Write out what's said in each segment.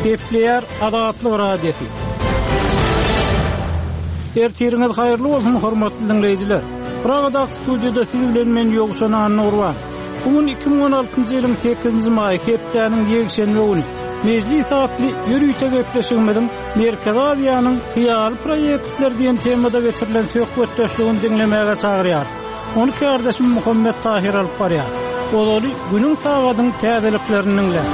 Gepleýär Azatlyk Radiosy. Ertiriňiz haýyrly bolsun, hormatly diňleýjiler. Pragadaky studiýada siz bilen men Ýowşan Annagurban. Bu gün 2016-njy ýylyň 8-nji maýy, hepdäniň ýekşenbe güni. Mejlis atly ýörite gepleşigimiziň Merkezi Aziýanyň hyýaly proýektleri diýen temada geçirilen söhbetdeşligini diňlemäge çagyrýarys. Ony kärdeşim Muhammet Tahyr alyp barýar. Ozaly günüň sagadyň täzeliklerini diňläň.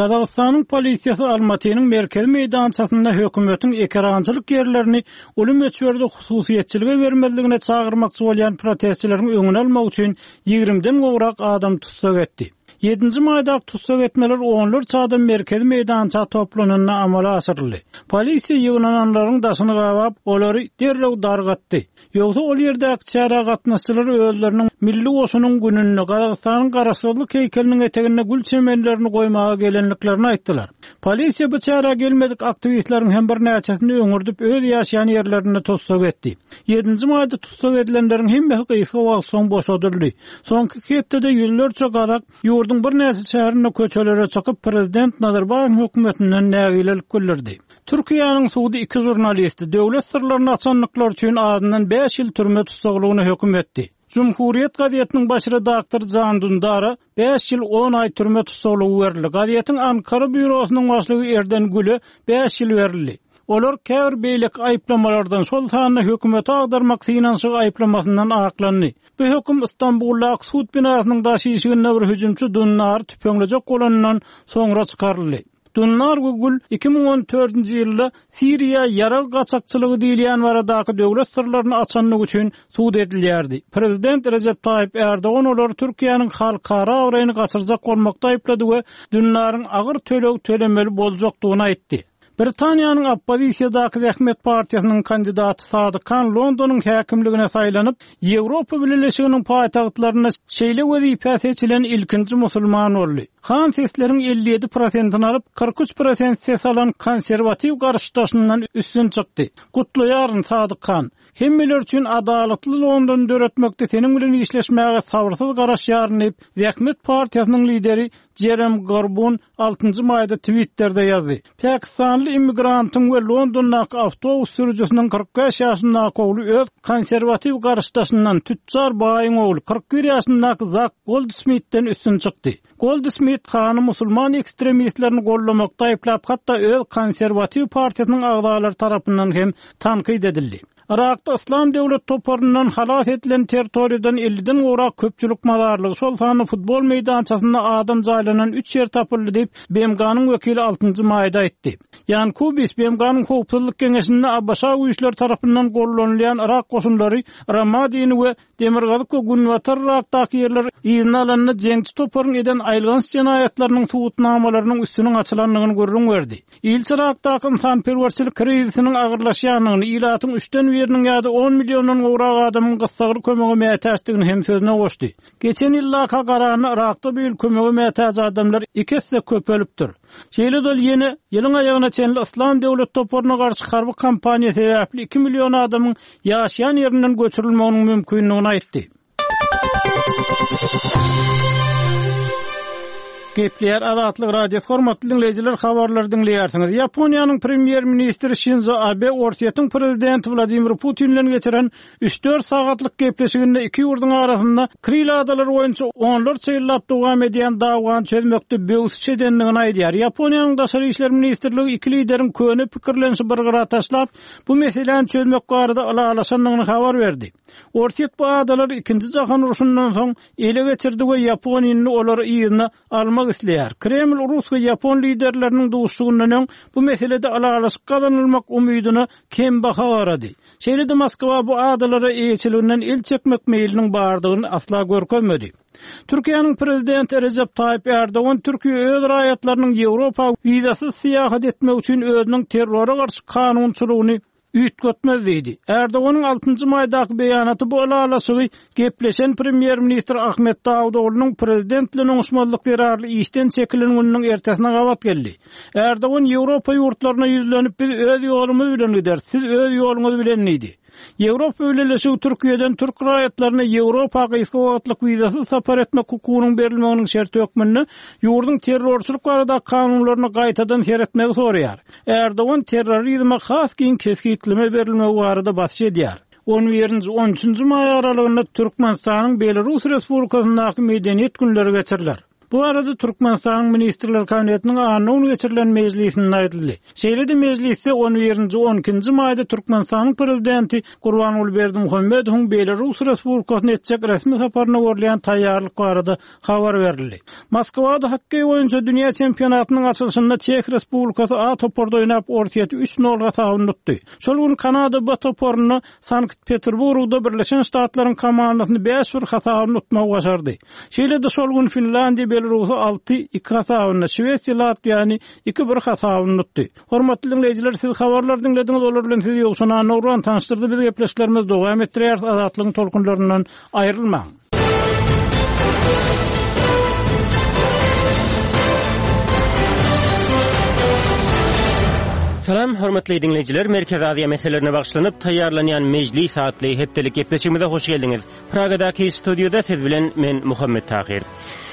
Gazagystanyň polisiýasy Almatynyň merkezi meýdançasynda hökümetiň ekerançylyk ýerlerini uly möçberde hususyýetçilige bermezligine çagyrmakçy bolýan protestçileriň öňüni almak üçin ýigrimiden gowrak adamy tussag etdi. Ýedinji maýdaky tussag etmeler onlarça adam merkezi meýdança toplananda amala aşyryldy. Polisiýa ýygnananlaryň daşyny gabap, olary derrew dargatdy. Ýogsa ol ýerdäki çärä gatnaşyjylar özleriniň Milli goşunyň gününde Gazagystanyň Garaşsyzlyk heýkeliniň eteginde gül çemenlerini goýmaga gelendiklerini aýtdylar. Polisiýa bu çärä gelmedik aktiwistleriň hem birnäçesini öňürdip öz ýaşaýan ýerlerinde tussag etdi. Ýedinji maýda tussag edilenleriň hemmesi gysga wagt soň boşadyldy. Soňky iki hepdede ýüzlerçe gazak ýurduň birnäçe şäherinde köçelere çykyp, prezident Nazarbaýewiň hökümetinden nägilelik bildirdi. Türkiýäniň sudy iki žurnalisti döwlet syrlaryny açandyklary üçin azyndan bäş ýyl türme tussaglygyna höküm etdi. Cumhuriyet gazetiniň baş redaktory Jan Dündara bäş ýyl on aý türme tussaglygy berildi. Gazetiň Ankara býurosynyň başlygy Erden Güle bäş ýyl berildi. Olar käbir beýleki aýyplamalardan, şol sanda hökümeti agdarmak synanyşygy aýyplamasyndan aklandy. Bu höküm Stambuldaky sud binasynyň daş işiginde bir hüjümçi Dündary tüpeňlejek bolanyndan soňra çykaryldy. Dundar we Gül 2014-nji ýylda Siriýa ýarag gaçakçylygy diýilýän baradaky döwlet syrlaryny açanlygy üçin sud edilýärdi. Prezident Rejep Taýyp Ärdogan olary Türkiýäniň halkara abraýyny gaçyrjak bolmakda aýyplady we Dündaryň agyr töleg tölemeli boljakdygyny aýtdy. Britaniýanyň oppozisiýadaky Zähmet partiýasynyň kandidaty Sadyk Han Londonyň häkimligine saýlanyp, Ýewropa Bileleşiginiň paýtagtlarynda şeýle wezipä seçilen ilkinji musulman boldy. Han sesleriň 57 prosentini alyp, 43 prosent ses alan konserwatiw garşydaşyndan üstün çykdy. Gutlaýaryn, Sadyk Han! Hemmeler üçin adalatly Londony döretmekde seniň bilen işleşmäge sabyrsyz garaşýaryn diýip, Zähmet partiýasynyň lideri Jerem Gorbun altynjy maýda Twitterde ýazdy. Pakistanly immigrantyň we Londondaky awtobus sürüjisiniň 45 ýaşyndaky ogly öz konserwatiw garşydaşyndan, tütjar baýyň ogly, 41 ýaşyndaky Zak Goldsmitden üstün çykdy. Goldsmit Hany musulman ekstremistlerini goldamakda aýyplap, hatda öz konserwatiw partiýasynyň agzalary tarapyndan hem tankyt edildi. Yrakda Yslam döwlet toparyndan halas edilen territoriýadan elliden gowrak köpçülik mazarlygy, şol sanda futbol meýdançasynda adam jaýlanan üç ýer tapyldy diýip, BMG-niň wekili altynjy maýda aýtdy. Ýan Kubis BMG-niň Howpsuzlyk Geňeşinde ABŞ güýçleri tarapyndan gollanylýan yrak goşunlary Ramadini we Demirgazyk we Günbatar Yrakdaky ýerleri yzyna alanda jeňçi toparyň eden aýylganç jenaýatlarynyň subutnamalarynyň üstüniň açylandygyny gürrüň berdi. Ilçi Yrakdaky ynsanperwerçilik krizisiniň agyrlaşýandygyny, ilatyň üçden biriniň ýa-da on milliondan gowrak adamyň gyssagly kömege mätäçdigini hem sözüne goşdy. Geçen ýyldaka garanda Yrakda bu ýyl kömege mätäç adamlar iki esse köpelipdir. Şeýle-de ol ýene ýylyň aýagyna çenli Yslam döwlet toparyna garşy harby kampaniýa sebäpli iki million adamyň ýaşaýan ýerinden göçürilmeginiň mümkindigini aýtdy. Gepleýär Azatlyk Radiosy hormatly diňleýjiler habarlary diňleýärsiňiz. Ýaponiýanyň premýer-ministri Şinzo Abe Orsýetiň prezidenti Wladimir Putin bilen geçiren Üç-dört sagatlyk gepleşiginde iki ýurduň arasynda Kril adalary boýunça onlarça ýyllap dowam edýän dawany çözmekde böwsüş edendigini aýdýar. Ýaponiýanyň Daşary işler ministrligi iki lideriň köne pikirlenişi bir gyra taşlap, bu meseläni çözmek barada ylalaşandygyny habar berdi. Orsýet bu adalary Ikinji jahan urşundan soň ele geçirdi we Ýaponiýa indi olary yzyna almak isleýär. Kreml rus we ýapon liderleriniň duşuşygyndan öň bu meselede ylalaşyk gazanylmak umydyna kembaha garady. Şeýle-de Moskwa bu adalara eýeçiliginden el çekmek meýliniň bardygyny asla görkezmedi. Türkiýäniň Prezidenti Rejep Taýyp Ärdogan Türkiýe öz raýatlarynyň Ýewropa wizasyz syýahat etmegi üçin özüniň terrora garşy kanunçylygyny üýtgetmez diýdi. Ärdoganyň altynjy maýdaky beýanaty bu ylalaşygy gepleşen premýer-ministr Ahmet Dawutoglunyň prezident bilen oňuşmazlyk zerarly işden çekilen gününiň ertesine gabat geldi. Ärdogan Ýewropa ýurtlaryna ýüzlenip biz öz ýolumyz bilen gideris, siz öz ýoluňyz bilen diýdi. Ýewropa Bileleşigi Türkiýeden türk raýatlaryna Ýewropa gysga wagtlyk wizasyz sapar etmek hukugynyň berilmeginiň şerti hökmünde ýurduň terrorçylyk baradaky kanunlaryna gaýtadan seretmegi soraýar. Erdogan terrorizme has giň kesgitleme berilmegi barada basyş edýär. On birinji, on üçünji maý aralygynda Türkmenistanyň Belarus Respublikasyndaky Medeniýet günleri geçiriler. Bu barada Türkmenistanyň Ministrler Kabinetiniň anna güni geçirilen mejlisinde aýdyldy. Şeýle-de mejlisde on birinji, on ikinji maýda Türkmenistanyň Prezidenti Gurbanguly Berdimuhamedowyň Belarus Respublikasyna etjek resmi saparyna görülýän taýýarlyk barada habar berildi. Moskwada hokkeý boýunça dünýä çempionatynyň açylyşynda Çeh Respublikasy A toparda oýnap, Orsýeti üç nol hasabynda utdy. Şol gün Kanada B toparynda Sankt-Peterburgda Birleşen Ştatlaryň komandasyny bäş bir hasabynda utmagy başardy. Şeýle-de şol gün Finlandiýa Belarusy alty, iki hasabynda, Şwesiýa Latwiýany iki, bir hasabynda utdy. Hormatly diňleýjiler, siz habarlary diňlediňiz, olar bilen sizi Ýowşan Annagurban tanyşdyrdy. Biz gepleşiklerimizi dowam etdirýäris, Azatlygyň tolkunlaryndan aýrylmaň! Salam, hormatly diňleýjiler, Merkezi Aziýa meselelerine bagyşlanyp taýýarlanýan Mejlis atly hepdelik gepleşigimize hoş geldiňiz. Pragadaky studiýada siz bilen men Muhammet Tahyr.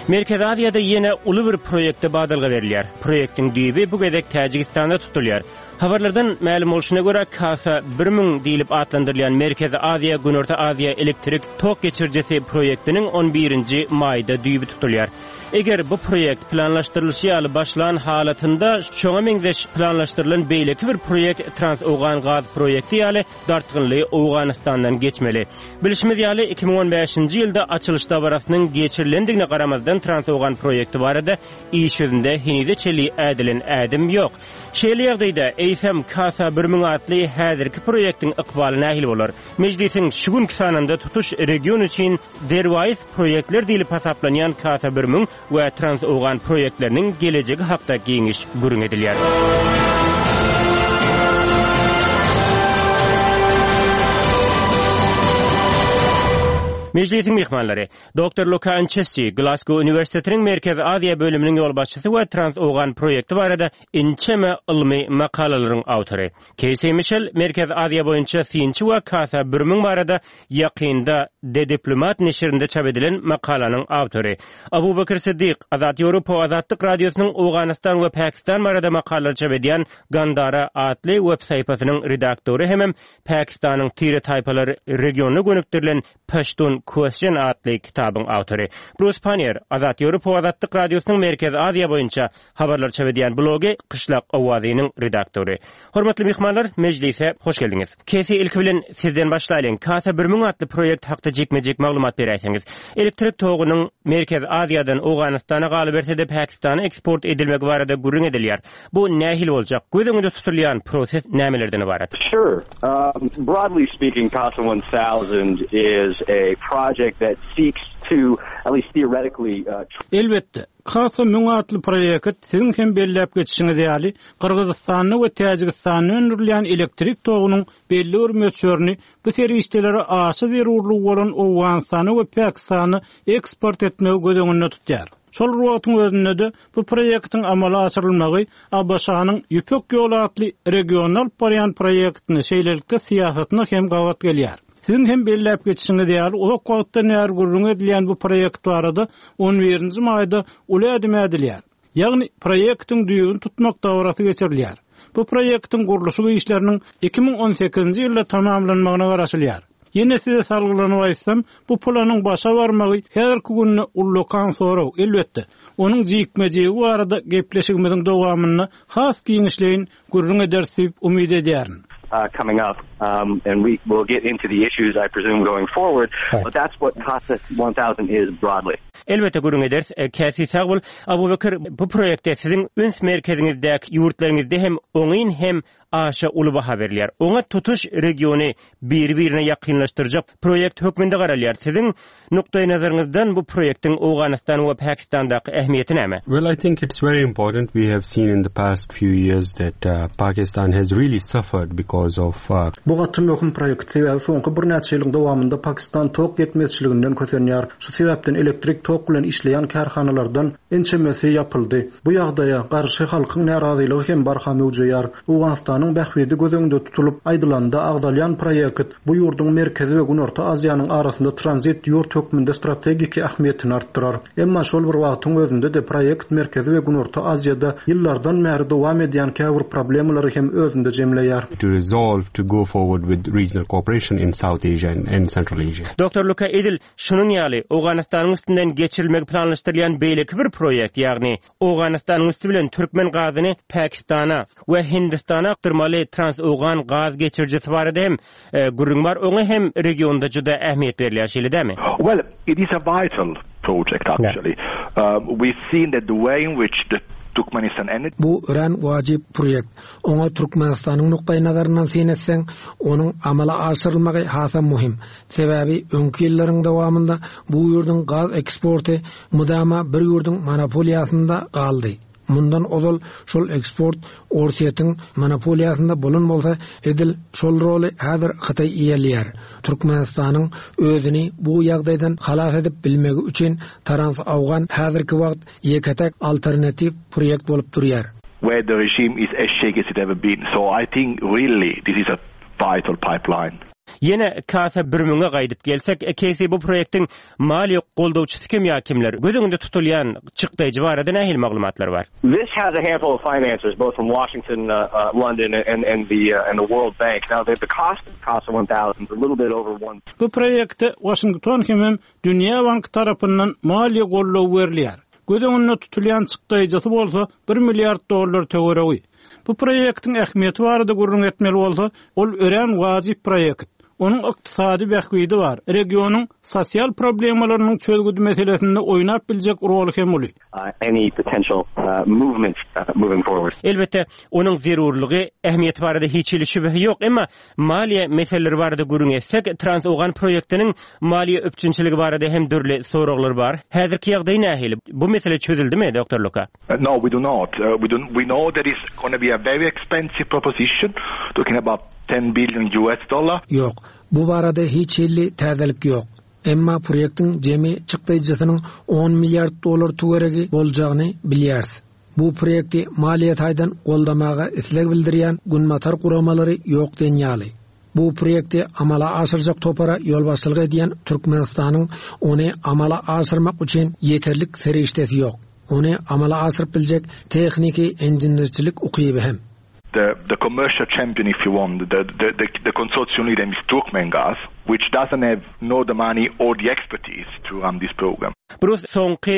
Merkezi Aziýada ýene uly bir proýekte badalga berilýär. Proýektiň düýbi bu gezek Täjigistanda tutulýar. Habarlardan mälim bolşuna görä, Kasa 1000 diýlip atlandyrylýan Merkezi Aziýa, Günorta Aziýa elektrik tok geçirijisi proýektiniň on birinji maýda düýbi tutulýar. Eger bu proýekt planlaşdyrylyşy ýaly başlan halatynda, şoňa meňzeş planlaşdyrylan beýleki bir proýekt Trans-Owgan gaz proýekti ýaly dartgynly Owganystandan geçmeli. Bilşimiz ýaly, 2015-nji ýylda açylyş dabarasynyň geçirilendigine garamazdan Trans-Owgan proýekti barada iş ýüzünde henize çenli ädilen ädim ýok. Şeýle ýagdaýda, eýsem, Kasa 1000 atly häzirki proýektiň ykbaly nähili bolar? Mejlisiň şu günki sanynda tutuş region üçin derwaýys proýektler diýlip hasaplanýan Kasa 1000 we Trans-Owgan proýektleriniň gelejegi hakda giňiş gürrüň edilýär. Mejlisiň myhmanlary, Doktor Luka Ançesçi, Glasgow uniwersitetiniň Merkezi Aziýa bölüminiň ýolbaşçysy we Trans-Owgan proýekti barada ençeme ylmy makalalaryň awtory. Keýsi Mişel, Merkezi Aziýa boýunça synçy we Kasa 1000 barada ýakynda The Diplomat neşirinde çap edilen makalanyň awtory. Abubekir Siddik, Azat Ýewropa Azatlyk Radiosynyň Owganystan we Pakistan barada makalalar çap edýän Gandara atly web sahypasynyň redaktory hemem Pakistanyň tire-taýpalar regionyna gönükdirilen Paştun Question atly kitabyň awtory. Brus Pannier, Azat Ýewropa Azatlyk Radiosynyň Merkezi Aziýa boýunça habarlar çap edýän blogy Kyşlak owazynyň redaktory. Hormatly myhmanlar, mejlise hoş geldiňiz. Kesi, ilki bilen sizden başlaýlyň. Kasa 1000 atly proýekt hakda jikme-jik maglumat beräýseňiz. Elektrik togunyň Merkezi Aziýadan Owganystana galyberse-de Pakistana eksport edilmegi barada gürrüň edilýär. Bu nähili boljak? Göz öňünde tutulýan proses nämelerden ybarat? Sure. Broadly speaking, CASA 1000 is a project that seeks to, at least theoretically, Elbetde, CASA 1000 atly proýekt, siziň hem belläp geçişiňiz ýaly, Gyrgyzystanda we Täjigistanda öndürilýän elektrik togunyň belli bir möçberini bu serişdelere aşa zerurlygy bolan Owganystana we Pakistana eksport etmegi göz öňünde tutýar. Şol bir wagtyň özünde-de, bu proýektiň amala aşyrylmagy ABŞ-nyň Ýüpek ýoly atly regionda alyp barýan proýektine, şeýlelikde syýasatyna hem gabat gelýär. Siziň hem belläp geçişiňiz ýaly, uzak wagtdan bäri gürrüňi edilýän bu proýekt barada on birinji maýda uly ädim ädilýär. Ýagny, proýektiň düýbüni tutmak dabarasy geçirilýär. Bu proýektiň gurluşyk işleriniň 2018-nji ýylda tamamlanmagyna garaşylýar. Ýene size salgylanyp aýtsam, bu planyň başa barmagy häzirki günde ullakan sorag, elbetde, onuň jikme-jigi barada gepleşigimiziň dowamynda has giňişleýin gürrüň ederis diýip umyt edýärin. coming up and we will get into the issues I presume going forward but that's what CASA 1000 is broadly. Elbetde gürrüň ederis. Käsi sag bol. Abubekir bu proýekte siziň üns merkeziňizdäki ýurtlaryňyzda hem oňyn hem aşa uly baha berilýär. Oňa tutuş regiony biri-birine ýakynlaşdyrjak proýekt hökmünde garalýar. Siziň nukdaýnazaryňyzdan bu proýektiň Owganystan we Pakistandaky ähmiýeti näme? Well, I think it's very important. We have seen in the past few years that uh, Pakistan has really suffered because. because of Bu gaty möhüm proýekt, sebäbi soňky birnäçe ýylyň dowamynda Pakistan tok ýetmezçiliginden kösenýär. Şu sebäpden elektrik tok bilen işleýän kärhanalardan ençemesi ýapyldy. Bu ýagdaýa garşy halkyň närazylygy hem barha möwjeýär. Owganystanyň bähbidi göz öňünde tutulyp aýdylanda agzalýan proýekt bu ýurduň Merkezi we Günorta Aziýanyň arasynda tranzit ýurt hökmünde strategiki ähmiýetini artdyrar. Emma şol bir wagtyň özünde-de proýekt Merkezi we Günorta Aziýada ýyllardan bäri dowam edýän käbir problemalary hem özünde jemleýär. to resolve to go forward with regional cooperation in South Asia and Central Asia. Doktor Luka edil şunuň ýaly, Owganystanyň üstünden geçirilmegi planlaşdyrylýan beýleki bir proýekt, ýagny Owganystanyň üsti bilen türkmen gazyny Pakistana we Hindistana akdyrmaly Trans-Owgan gaz geçirijisi barada hem gürrüň bar, oňa hem regionda juda ähmiýet berilýär, şeýle dälmi? Well, it is a vital project actually. We've seen that the way in which the Turkmenistan energy. Bu örän wajyp proýekt. Oňa Türkmenistanyň nukdaýnazaryndan syn etseň, onuň amala aşyrylmagy hasam möhüm. Sebäbi öňki ýyllaryň dowamynda bu ýurduň gaz eksporty mydama bir ýurduň monopoliýasynda galdy. Mundan ozal şol eksport Orsýetiň monopoliýasynda bolan bolsa, edil şol roly häzir Hytaý eýeleýär. Türkmenistanyň özüni bu ýagdaýdan halas edip bilmegi üçin Trans-Awgan häzirki wagt ýeke-täk alternatiw proýekt bolup durýar. Where the regime is as shaky as it ever been. So I think really this is a vital pipeline. Ýene Kasa bir müňe gaýdyp gelsek, Keýsi bu proýektiň maliýe goldawçysy kim ýa kimler? Göz öňünde tutulýan çykdaýjy barada nähili maglumatlar bar? This has a handful of financers both from Washington, London and and the and the World Bank. Now the cost of Casa 1000 is a little bit over one. Bu proýekte Waşington hemem Dünýä banky tarapyndan maliýe goldawy berilýär. Göz öňünde tutulýan çykdaýjysy bolsa bir milliard dollar töweregi. Bu proýektiň ähmiýeti barada gürrüň etmeli bolsa, ol örän wajyp proýekt. Onuň ykdysady bähbidi bar, regionyň sosial problemalarynyň çözgüdi meselesinde oýnap biljek roly hem uly. any potential movement moving forward. Elbetde, onuň zerurlygy, ähmiýeti barada hiç hili şübhe ýok. Emma maliýe meseleleri barada gürrüň etsek, Trans-Owgan proýektiniň maliýe üpjünçiligi barada hem dürli soraglar bar. Häzirki ýagdaý nähili? Bu mesele çözüldimi, Doktor Luka? No, we do not. We do, we know that it's gonna be a very expensive proposition, talking about ten billion US dollar. Ýok, bu barada hiç hili täzelik ýok. Emma proýektiň jemi çykdaýjysynyň on milliard dollar töweregi boljagyny bilýäris. Bu proýekti maliýe taýdan goldamaga isleg bildirýän günbatar guramalary ýok diýen ýaly. Bu proýekti amala aşyrjak topara ýolbaşçylyk edýän Türkmenistanyň ony amala aşyrmak üçin ýeterlik serişdesi ýok. Ony amala aşyryp biljek tehniki-inženerçilik ukyby hem. The the commercial champion if you want, the the the the consortium leader is Turkmengaz, which doesn't have nor the money or the expertise to run this program. Brus, soňky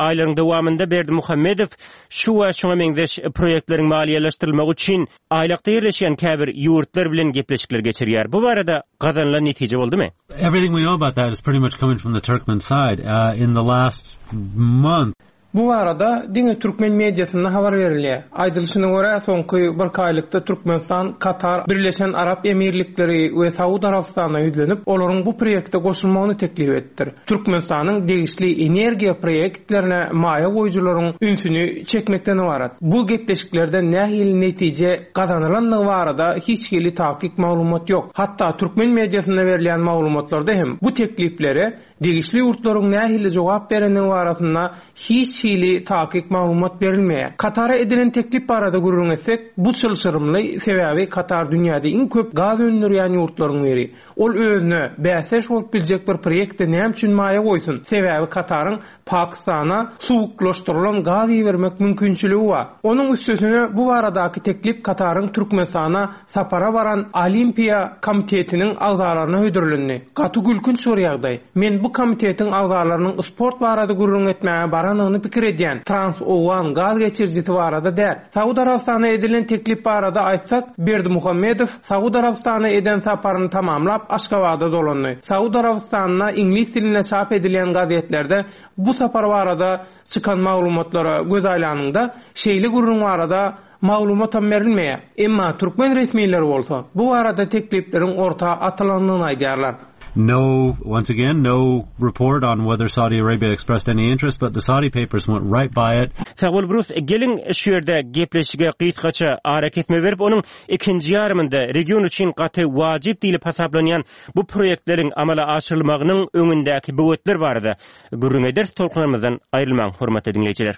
aýlaryň dowamynda Berdimuhamedow şu we şuňa meňzeş proýektleriň maliýeleşdirilmegi üçin aýlakda ýerleşýän käbir ýurtlar bilen gepleşikler geçirýär. Bu barada gazanylan netije boldumy? Everything we know about that is pretty much coming from the Turkmen side. In the last month, Bu barada diňe türkmen mediasynda habar berilýär. Aýdylyşyna görä, soňky birki aýlykda Türkmenistan Katar, Birleşen Arap Emirlikleri we Saud Arabystanyna ýüzlenip, olaryň bu proýekte goşulmagyny teklip edipdir. Türkmenistanyň degişli energiýa proýektlerine maýa goýujylaryň ünsüni çekmekden ybarat. Bu gepleşiklerden nähili netije gazanylandygy barada hiç hili takyk maglumat ýok. Hatda türkmen mediasynda berilýän maglumatlarda hem bu tekliplere Degişli ýurtlaryň nähili jogap berendigi barasynda hiç hili takyk maglumat berilmeýär. Katara edilen teklip barada gürrüň etsek, bu çylşyrymly, sebäbi Katar dünýäde iň köp gaz öndürýän ýurtlaryň biri. Ol özüne bäsdeş bolup biljek bir proýektde näme üçin maýa goýsun? Sebäbi Kataryň Pakistana suwuklaşdyrylan gaz ibermek mümkinçiligi bar. Onuň üstesine bu baradaky teklip Kataryň Türkmenistana Sapara baran Olimpiýa komitetiniň agzalaryna hödürlendi. Gaty gülkünç bir ýagdaý. Men bu komitetiň agzalarynyň sport barada gürrüň etmäge baranyny pikir edýän, trans-owgan gaz geçirijisi barada däl. Saud Arabystanyna edilen teklip barada aýtsak, Berdimuhamedow Saud Arabystanyna eden saparyny tamamlap, Aşgabada dolandy. Saud Arabystanynda iňlis dilinde çap edilýän gazetlerde bu sapar barada çykan maglumatlara göz aýlanyňda, şeýle gürrüň barada Maglumatam berilmeýär. Emma türkmen resmileri bolsa, bu barada teklipleriň orta atylandygyny aýdýarlar. No, once again, no report on whether Saudi Arabia expressed any interest, but the Saudi papers went right by it. Sag bol Brus, geliň şu ýerde gepleşige gysgaça arakesme berip, onuň ikinji ýarymynda region üçin gaty wajyp diýlip hasaplanýan bu proýektleriň amala aşyrylmagynyň öňündäki böwetler barada gürrüň ederis. Tolkunlarymyzdan aýrylmaň, hormatly diňleýjiler.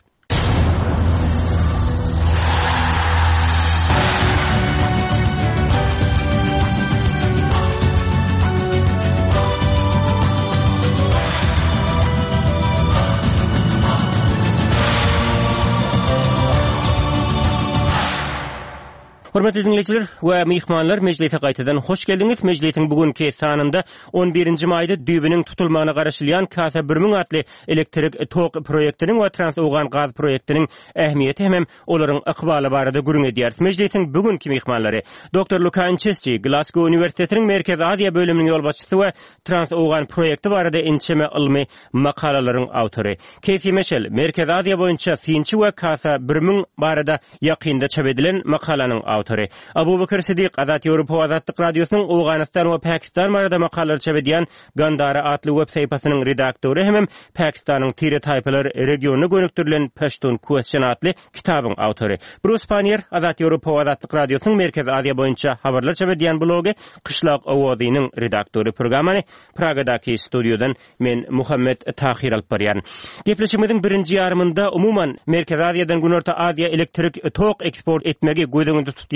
Hormatly diňleýjiler we myhmanlar, mejlise gaýtadan hoş geldiňiz. Mejlisiň bu günki sanynda on birinji maýda düýbüniň tutulmagyna garaşylýan Kasa 1000 atly elektrik tok proýektiniň we Trans-Owgan gaz proýektiniň ähmiýeti hemem olaryň ykbaly barada gürrüň edýäris. Mejlisiň bu günki myhmanlary, doktor Luka Inçesçi, Glasgow uniwersitetiniň Merkezi Aziýa bölüminiň ýolbaşçysy we Trans-Owgan proýekti barada ençeme ylmy makalalaryň awtory. Keýsi Meşel, Merkezi Aziýa boýunça synçy we Kasa 1000 barada ýakynda çap edilen makalanyň awtory. Abubakar Sidik, Azat Ýewropa we Azatlyk Radiosynyň Owganystan we Pakistan barada makalalary çap edýän Gandara atly web sahypasynyň redaktory hemem Pakistanyň tire-taýpalar regionyna gönükdirilen Pashtun Question atly kitabyň awtory. Brus Pannier, Azat Ýewropa we Azatlyk Radiosynyň Merkezi Aziýa boýunça habarlar çap edýän blogy Kyşlak owazynyň redaktory. Programmany Pragadaky studiýadan men Muhammet Tahyr alyp barýaryn. Gepleşigimiziň birinji ýarymynda umuman Merkezi Aziýadan Günorta Aziýa elektrik tok eksport etmegi göz öňünde tutýan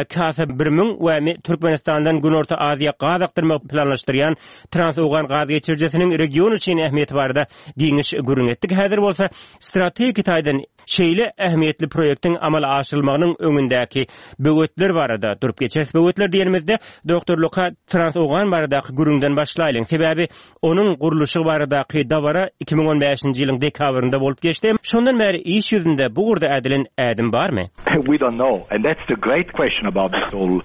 Kasa 1000 we Türkmenistandan Günorta Aziýa gaz akdyrmagy planlaşdyrýan Trans-Owgan gaz geçirijisiniň region üçin ähmiýeti barada giňiş gürrüň etdik. Häzir bolsa strategik taýdan şeýle ähmiýetli proýektiň amala aşyrylmagynyň öňündäki böwetler barada durup geçeris. Böwetler diýenimizde, doktor Luka, Trans-Owgan baradaky gürrüňden başlaýlyň. Sebäbi onuň gurluşygy baradaky dabara 2015-nji ýylyň dekabrynda bolup geçdi. Şondan bäri iş ýüzünde bu ugurda ädilen ädim barmy? We don't know and that's the great question about this whole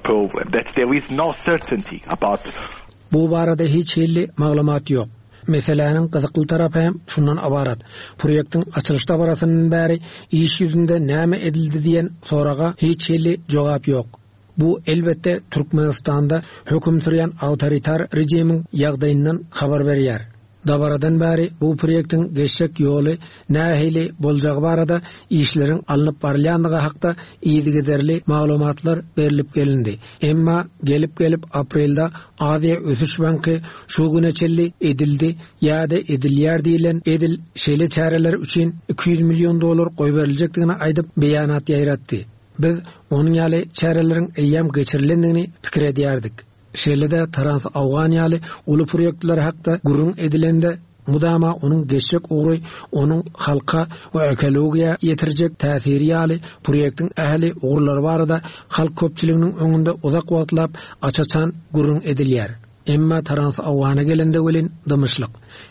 problem that there is no certainty about. Bu barada hiç hili maglumat ýok. Meseläniň gyzykly tarapy hem şundan ybarat, proýektiň açylyş dabarasyndan bäri iş ýüzünde näme edildi diýen soraga hiç hili jogap ýok. Bu, elbetde, Türkmenistanda höküm sürýän awtoritar režimiň ýagdaýyndan habar berýär. Dabaradan bäri bu proýektiň geçjek ýoly nähili boljagy barada işleriň alnyp barylýandygy hakda yzygiderli maglumatlar berlip gelindi. Emma gelip-gelip aprelde Aziýa ösüş banky şu güne çenli edildi ýa-da edilýär diýlen edil şeýle çäreler üçin 200 million dollar goýberiljekdigini aýdyp beýanat ýaýratdy. Biz onuň ýaly çäreleriň eýýäm geçirilendigini pikir edýärdik. Şeýle-de Trans-Owgan ýaly uly proýektler hakda gürrüň edilende, mudama onuň geçjek ugry, onuň halka we ekologiýa ýetirjek täsiri ýaly proýektiň ähli ugurlary barada halk köpçüliginiň öňünde uzak wagtlap aç-açan gürrüň edilýär. Emma Trans-Owgana gelende welin dymyşlyk.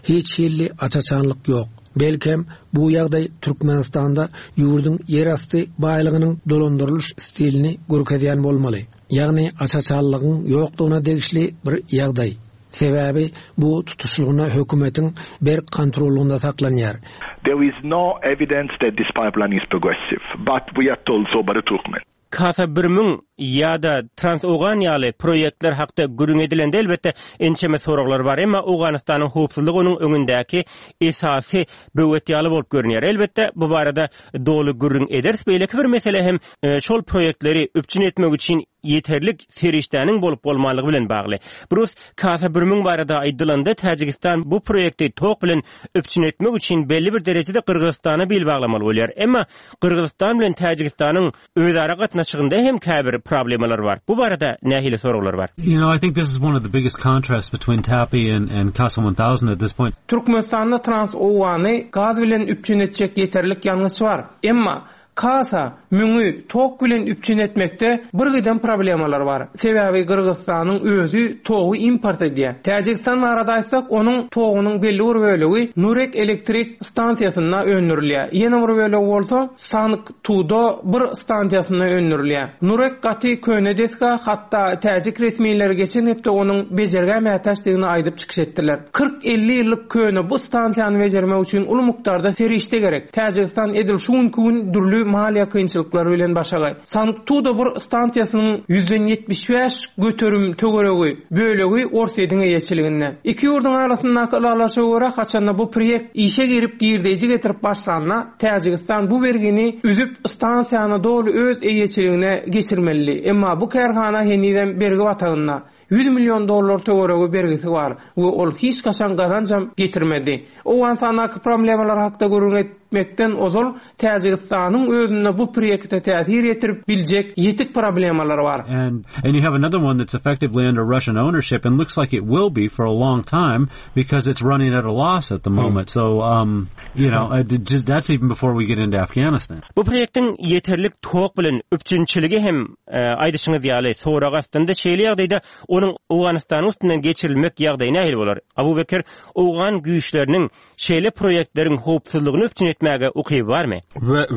Hiç hilli aç-açanlyk ýok. Belkem, bu ýagdaý Türkmenistanda ýurduň ýerasty baýlygynyň dolandyrylyş stilini görkezýän bolmaly. Ýagny aç-açanlygyň ýokdugyna degişli bir ýagdaý. Sebäbi bu tutuşlygyna hökümetiň berk kontrollygynda saklanýar. There is no evidence that this pipeline is progressive, but we are told so by the Turkmen. Kasa 1000 ýa-da Trans-Owgan ýaly proýektler hakda gürrüň edilende, elbetde, ençeme soraglar bar. Emma Owganystanyň howpsuzlygy onuň öňündäki esasy böwet ýaly bolup görünýär. Elbetde, bu barada doly gürrüň ederis. Beýleki bir mesele hem şol proýektleri üpjün etmek üçin ýeterlik serişdäniň bolup-bolmanlygy bilen bagly. Brus, Kasa 1000 barada aýdylanda, Täjigistan bu proýekti tok bilen üpjün etmek üçin belli bir derejede Gyrgyzystana bil baglamaly bolýar. Emma Gyrgyzystan bilen Täjigistanyň özara gatnaşygynda hem käbir problemalar bar. Bu barada nähili soraglar bar? You know, I think this is one of the biggest contrasts between TAPI and, and CASA 1000 at this point. Türkmenistanda Trans-Owgany gaz bilen üpjün etjek ýeterlik ýangyç bar. Emma Kasa müňi tok bilen üpjün etmekde birgiden problemalar bar. Sebäbi Gyrgyzystanyň özi togy import edýär. Täjigistan barada aýtsak, onuň togunyň belli bir bölegi Nurek elektrik stansiýasynda öndürilýär. Ýene bir bölegi bolsa Sank-Tuda bir stansiýasynda öndürilýär. Nurek gaty köne desga, hatda täjik resmileri geçen hepde onuň bejergä mätäçdigini aýdyp çykyş etdiler. Kyrk-elli ýyllyk köne bu stansiýany bejermek üçin uly mukdarda serişde gerek. Täjigistan edil şu günki gün dürli maliýe kynçylyklaryny. kynçylyklary bilen başagaý. Sangtuda bir stansiýasynyň ýüzden 75 göterim töweregi bölegi Orsýetiň eýeçiliginde. Iki ýurduň arasyndaky ylalaşyga görä, haçanda bu proýekt işe girip girdeýji getirip başlanda, Täjigistan bu bergini üzüp stansiýany doly öz eýeçiligine geçirmelidi. Emma bu kärhana henizem bergi batagynda. 100 million dollar töweregi bergisi bar we ol hiç haçan gazanjam getirmedi. Owganystandaky problemalar hakda gürrüň etmekden ozal Täjigistanyň özünde bu proýekte täsir ýetirip biljek ýetik problemalar bar. And and you have another one that's effectively under Russian ownership and looks like it will be for a long time because it's running at a loss at the hmm. moment. So um you know, uh, just, that's even before we get into Afghanistan. Bu proýektiň ýeterlik tok bilen üpjünçiligi hem e, aýdyşyňyz ýaly sorag astynda şeýle ýagdaýda onuň Owganystanyň üstünden geçirilmek ýagdaýy nähili bolar? Abu Bekir, owgan güýçleriniň şeýle proýektleriň howpsuzlygyny üpjün etmäge ukyby barmy?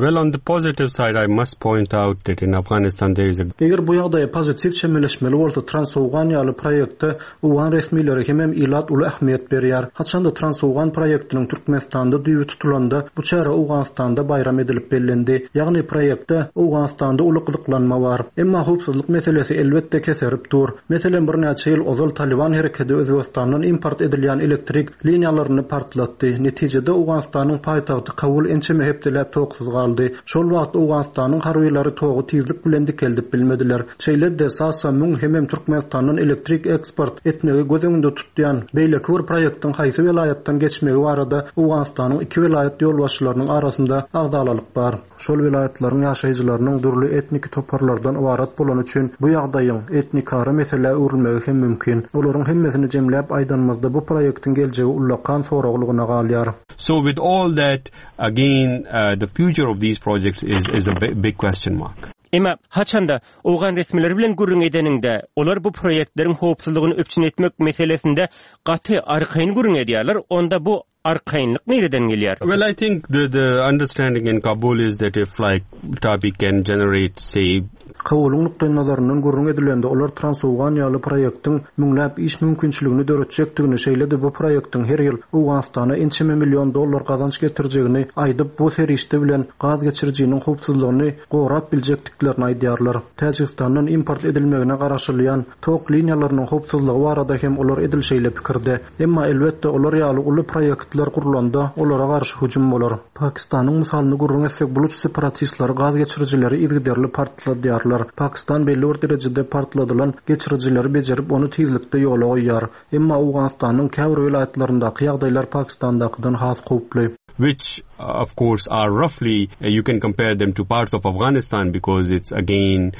Well, on the positive side, I must point out that in Afghanistan there is a Eger bu ýagdaýa pozitiw çemeleşmeli bolsa, Transowgan ýaly proýekte Owgan resmileri hemem ilat uly ähmiýet berýär. Haçanda Transowgan proýektiniň Türkmenistanda düýbi tutulanda, bu çäre Owganystanda baýram edilip bellendi. Ýagny proýekte Owganystanda uly gyzyklanma bar. Emma howpsuzlyk meselesi elbetde keserip dur. Meselem birnäçe ýyl ozal Talyban herekedi Özbegistandan import edilýän elektrik liniýalaryny partlatdy. Netijede Owganystanyň paýtagty Kabul ençeme hepdeläp toksuz galdy. Şol wagt Owganystanyň harbylary togy tizlik bilen dikeldip bilmediler. Şeýle-de Sasa 1000 hemem Türkmenistandan elektrik eksport etmegi göz öňünde tutýan beýleki bir proýektiň haýsy welaýatdan geçmegi barada Owganystanyň iki welaýat ýolbaşçylarynyň arasynda agzalalyk bar. Şol welaýatlaryň ýaşaýjylarynyň dürli etniki toparlardan ybarat bolany üçin bu ýagdaýyň etnikara meselä öwrülmegi hem mümkin. Olaryň hemmesini jemläp aýdanymyzda bu proýektiň geljegi ullakan soraglygyna galýar. So with all that, again, uh, the future of these projects is, is a big question mark. Emma haçanda owgan resmileri bilen gürrüň edeniňde, olar bu proýektleriň howpsuzlygyny üpjün etmek meselesinde gaty arkaýyn gürrüň edýärler, onda bu arkaýynlyk nireden gelýär? Well, I think the the understanding in Kabul is that if like TAPI can generate say Kabulyň nukdaýnazaryndan gürrüň edilende, olar Transowgan ýaly proýektiň müňläp iş mümkinçiligini döretjekdigini, şeýle-de bu proýektiň her ýyl Owganystana ençeme million dollar gazanç getirjegini aýdyp, bu serişde bilen gaz geçirijiniň howpsuzlygyny gorap biljekdiklerini aýdýarlar. Täjigistandan import edilmegine garaşylýan tok liniýalarynyň howpsuzlygy barada hem olar edil şeýle pikirde. Emma, elbetde, olar ýaly uly proýektler gurlanda, olara garşy hüjüm bolar. Pakistanyň mysalynda gürrüň etsek, buluç separatistleri gaz geçirijileri yzygiderli partladýarlar. Pakistan belli bir derejede partladylan geçirijileri bejerip, ony tizlikde ýola goýýar. Emma Owganystanyň käbir welaýatlaryndaky ýagdaýlar Pakistandakydan has howply. Which of course are roughly you can compare them to parts of Afghanistan because it's again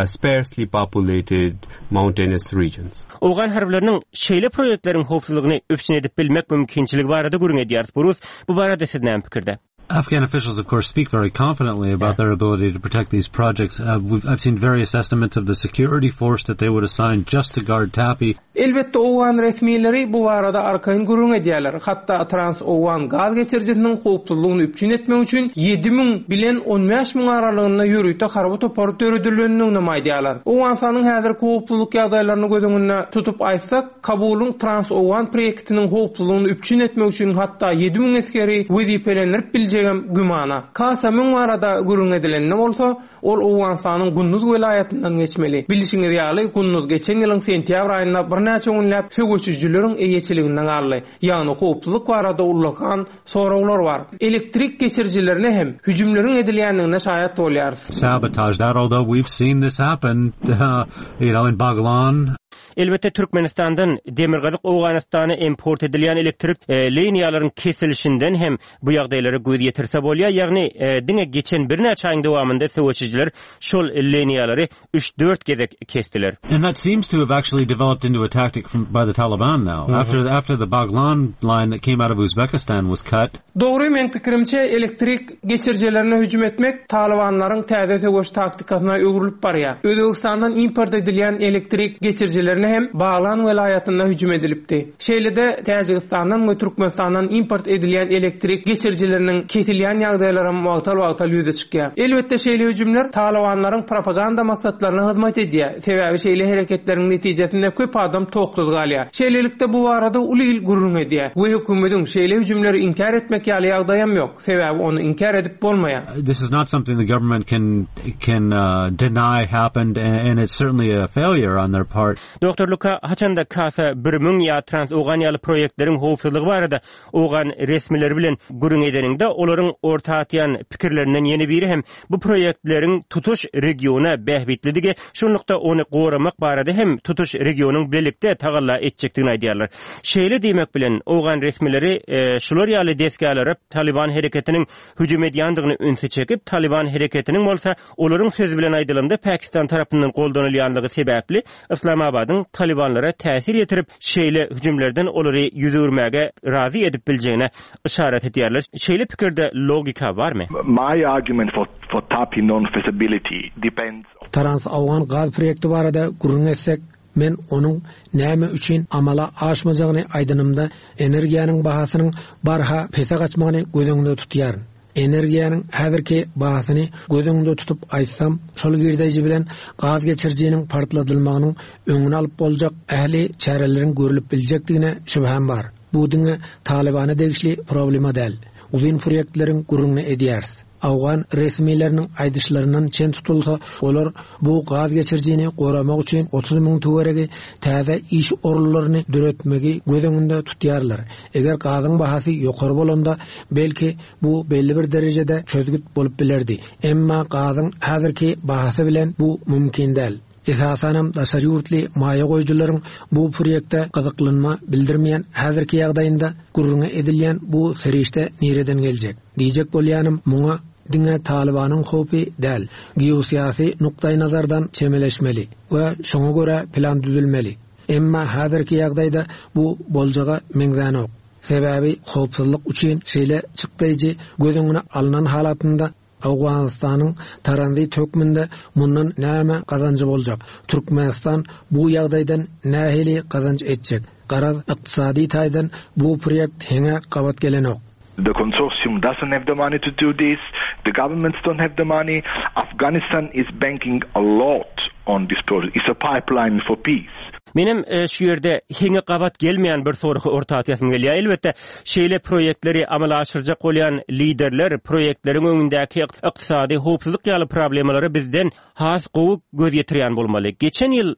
sparsely populated mountainous regions. Owgan harbylarynyň şeýle proýektleriň howpsuzlygyny üpjün edip bilmek mümkinçiligi barada gürrüň edýäris. Burus, bu barada siz näme pikirde? Afghan officials, of course, speak very confidently about yeah. their ability to protect these projects. Uh, I've seen various estimates of the security force that they would assign just to guard TAPI. Elbetde, owgan resmileri bu barada arkaýyn gürrüň edýärler. Hatda Trans-Owgan gaz geçirijisiniň howpsuzlygyny üpjün etmek üçin 7000 bilen 15 müň aralygynda ýörite harby topar döredilendiginem aýdýarlar. Owganystanyň häzirki howpsuzlyk ýagdaýlaryny göz öňünde tutup aýtsak, Kabulyň Trans-Owgan proýektiniň howpsuzlygyny üpjün etmek üçin hatda 7000 esgeri wezipelendirip biljegem gümana. Kasa 1000 barada gürrüň edilende bolsa, Ol Owganystanyň Gunduz welaýatyndan geçmeli. Bilşiňiz ýaly, Gunduz geçen ýylyň sentýabr aýynda birnäçe günläp söweşijileriň eýeçiliginde galdy. Ýagny howpsuzlyk barada ullakan soraglar bar. Elektrik geçirijilerine hem hüjümleriň edilýändigine şaýat bolýarys. Sabotage that, although we've seen this happen, you know, in Baghlan. Elbetde, Türkmenistandan Demirgazyk Owganystana import edilýän elektrik liniýalaryň kesilişinden hem bu ýagdaýlara göz ýetirse bolýar, ýagny diňe geçen birnäçe aýyň dowamynda söweşijiler şol liniýalary üç-dört gezek kesdiler. And that seems to have actually developed into a tactic from by the Taliban now. After after the Baghlan line that came out of Uzbekistan was cut. Dogry, meň pikirimçe, elektrik geçirijilerine hüjüm etmek talybanlaryň täze söweş taktikasyna öwrülip barýar. Özbegistandan import edilýän elektrik geçirijilerini. geçirijilerine hem Baglan welaýatynda hüjüm edilipdi. Şeýle-de, Täjigistandan we Türkmenistandan import edilýän elektrik geçirijileriniň kesilýän ýagdaýlaram wagtal-wagtal ýüze çykýar. Elbetde, şeýle hüjümler talybanlaryň propaganda maksatlaryna hyzmat edýär, sebäbi şeýle hereketleriň netijesinde köp adam toksuz galýar. Şeýlelikde, bu barada uly il gürrüň edýär we hökümediň şeýle hüjümleri inkär etmek ýaly ýagdaýam ýok, sebäbi ony inkär edip bolmaýar. This is not something the government can can deny happened and it's certainly a failure on their part. Doktor Luka, haçanda Kasa 1000 ýa Trans-Owgan ýaly proýektleriň howpsuzlygy barada owgan resmileri bilen gürrüň edeniňde, olaryň orta atýan pikirlerinden ýene biri hem bu proýektleriň tutuş regiona bähbitlidigi, şunlukda ony goramak barada hem tutuş regionyň bilelikde tagalla etjekdigini aýdýarlar. Şeýle diýmek bilen, owgan resmileri şular ýaly desgalara Talyban hereketiniň hüjüm edýändigini ünsi çekip, Talyban hereketiniň bolsa Olaryň sözi bilen aýdylanda, Pakistan tarapyndan goldanylýanlygy sebäpli, Yslamabadyň talybanlara täsir ýetirip, şeýle hüjümlerden olary ýüz öwürmäge razy edip biljegine yşarat edýärler. Şeýle pikirde logika barmy? My argument for for TAPI non-feasibility depends. Trans-Owgan gaz proýekti barada gürrüň etsek, men onuň näme üçin amala aşmajagyny aýdanymda, energiýanyň bahasynyň barha pese gaçmagyny göz öňünde tutýaryn. Energiýanyň häzirki bahasyny göz öňünde tutup aýtsam, şol girdeji bilen gaz geçirijiniň partladylmagynyň öňüni alyp boljak ähli çäreleriň görlüp biljekdigine şübhäm bar. Bu diňe Talybana degişli problema däl. Uzyn proýektleriň gürrüňini edýäris. Owgan resmileriniň aýdyşlaryndan çen tutulsa, olar bu gaz geçirijini goramak üçin 30 müň töweregi täze iş orunlaryny döretmegi göz öňünde tutýarlar. Eger gazyň bahasy ýokary bolanda, belki, bu belli bir derejede çözgüt bolup bilerdi. Emma gazyň häzirki bahasy bilen bu mümkin däl. Esasanam daşary ýurtly maýa goýujylaryň bu proýekte gyzyklanma bildirmeýän häzirki ýagdaýynda gürrüňi edilýän bu serişde nireden geljek? Diýjek bolýanym, muňa diňe Talybanyň howpy däl, geosyýasy nukdaýnazardan çemeleşmeli we şoňa görä plan düzülmeli. Emma häzirki ýagdaýda bu boljaga meňzänok. Sebäbi howpsuzlyk üçin şeýle çykdaýjy göz öňüne alnan halatynda Owganystanyň taranzit hökmünde mundan näme gazanjy boljak? Türkmenistan bu ýagdaýdan nähili gazanç etjek? Garaz, ykdysady taýdan bu proýekt heňe gabat gelenok. The consortium doesn't have the money to do this, the governments don't have the money, Afghanistan is banking a lot on this project, it's a pipeline for peace. Menem şu ýerde heňe gabat gelmeýän bir soragy orta atýasym gelýär. Elbetde, şeýle proýektleri amala aşyrjak bolýan liderler proýektleriň öňündäki ykdysady, howpsuzlyk ýaly problemalara bizden has gowy göz ýetirýän bolmaly. Geçen ýyl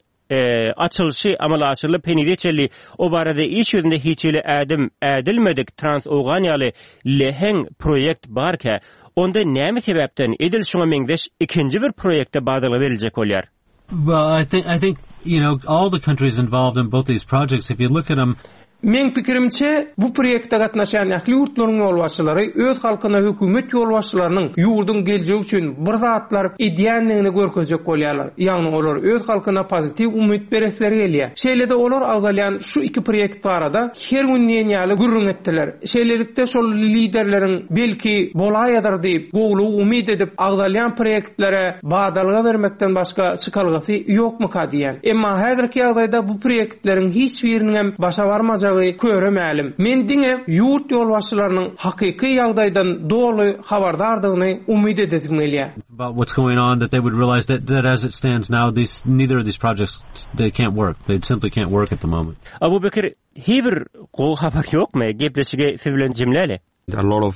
açylyşy amala aşyrylyp, henize çenli o barada iş ýüzünde hiç hili ädim ädilmedik Trans-Owgan ýaly leheň proýekt barkä, onda näme sebäpden edil şuňa meňzeş ikinji bir proýekte badalga beriljek bolýar? Well, I think, I think, you know, all the countries involved in both these projects, if you look at them, Meň pikirimçe, bu proýekte gatnaşýan ähli ýurtlaryň ýolbaşçylary öz halkyna hökümet ýolbaşçylarynyň ýurduň geljegi üçin bir zatlar edýändigini görkezjek bolýarlar. Ýagny olar öz halkyna pozitiw umyt beresleri gelýär. Şeýle-de olar agzalýan şu iki proýekt barada her gün diýen ýaly gürrüň etdiler. Şeýlelikde şol liderleriň belki bolaýadyr diýip gowulygy umyt edip agzalýan proýektlere badalga bermekden başga çykalgasy ýokmyka diýýän. Emma häzirki ýagdaýda bu proýektleriň hiç biriniňem başa barmajagy köre mälim. Men diňe ýurt ýolbaşçylarynyň hakyky ýagdaýdan doly habardardygyny umyt edesim gelýär. About what's going on that they would realize that that as it stands now these neither of these projects they can't work. They simply can't work at the moment. Abubekir, hiý bir gowy habar ýokmy? Gepleşigi siz bilen jemläli. A lot of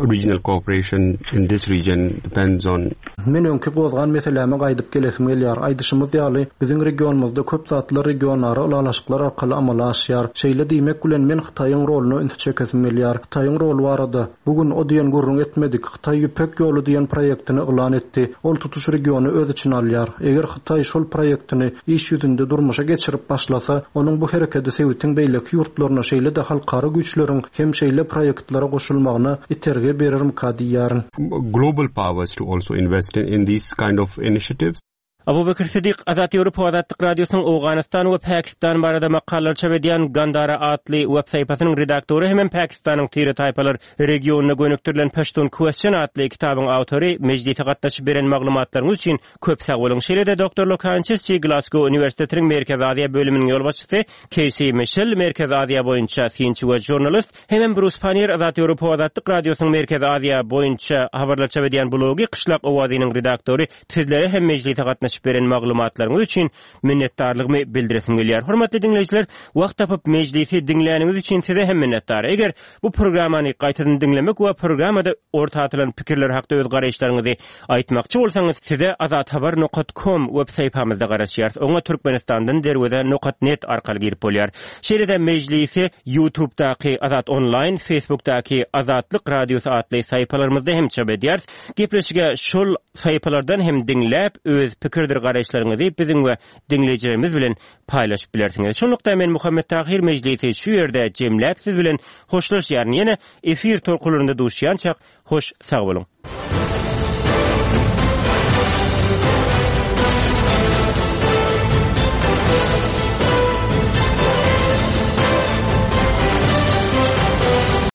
regional cooperation in this region depends on. Men öňki gozgan meseläme gaýdyp gelesim gelýär. Aýdyşymyz ýaly, biziň regionymyzda köp zatlar regionara ylalaşyklar arkaly amala aşýar. Şeýle diýmek bilen, men Hytaýyň roluna ünsi çekesim gelýär. Hytaýyň roly barada, bu gün o diýen gürrüň etmedik. Hytaý Ýüpek ýoly diýen proýektini yglan etdi. Ol tutuş regiony öz içine alýar. Eger Hytaý şol proýektini iş ýüzünde durmuşa geçirip başlasa, onuň bu herekedi sebitiň beýleki ýurtlaryna, şeýle-de halkara güýçleriň hem şeýle proýektlere goşulmagyna itergi berermika diýýärin. Global powers to also invest in these kind of initiatives. Abubekir Sidik, Azat Ýewropa Azatlyk Radiosynyň Owganystan we Pakistan barada makalalar çap edýän Gandara atly web sahypasynyň redaktory hemem Pakistanyň tire-taýpalar regionyna gönükdirilen Pashtun Question atly kitabyň awtory mejlise gatnaşyp beren maglumatlaryňyz üçin köp sag boluň. Şeýle-de Doktor Lokan Çirçi Glasgow uniwersitetiniň Merkezi Aziýa bölüminiň ýolbaşçysy Keýsi Mişel Merkezi Aziýa boýunça synçy we žurnalist hemem Brus Pannier Azat Ýewropa Azatlyk Radiosynyň Merkezi Aziýa boýunça habarlar çap edýän blogy Kyşlak owazynyň redaktory Sizlere hem mejlise gatnaşyp beren maglumatlaryňyz üçin minnetdarlygymy bildiresim gelýär. Hormatly diňleýjiler, wagt tapyp mejlisi diňläniňiz üçin size hem minnetdar. Eger bu programmany gaýtadan diňlemek we programmada orta atylan pikirler hakda öz garaýyşlaryňyzy aýtmakçy bolsaňyz, size azathabar nokat kom web sahypamyzda garaşýarys. Oňa Türkmenistandan derweze nokat net arkaly girip bolýar. Şeýle-de mejlisi Ýutubdaky Azat Onlaýn, Facebookdaky Azatlyk Radiosy atly sahypalarymyzda hem çap edýäris. Gepleşige şol sahypalardan hem diňläp, öz pikirdir garaýyşlaryňyzy biziň we diňleýjilerimiz bilen paýlaşyp bilersiňiz. Şunlukda men Muhammet Tahyr mejlisi şu ýerde jemläp siz bilen hoşlaşýaryn. Ýene efir tolkunlarynda duşýançak hoş sag boluň.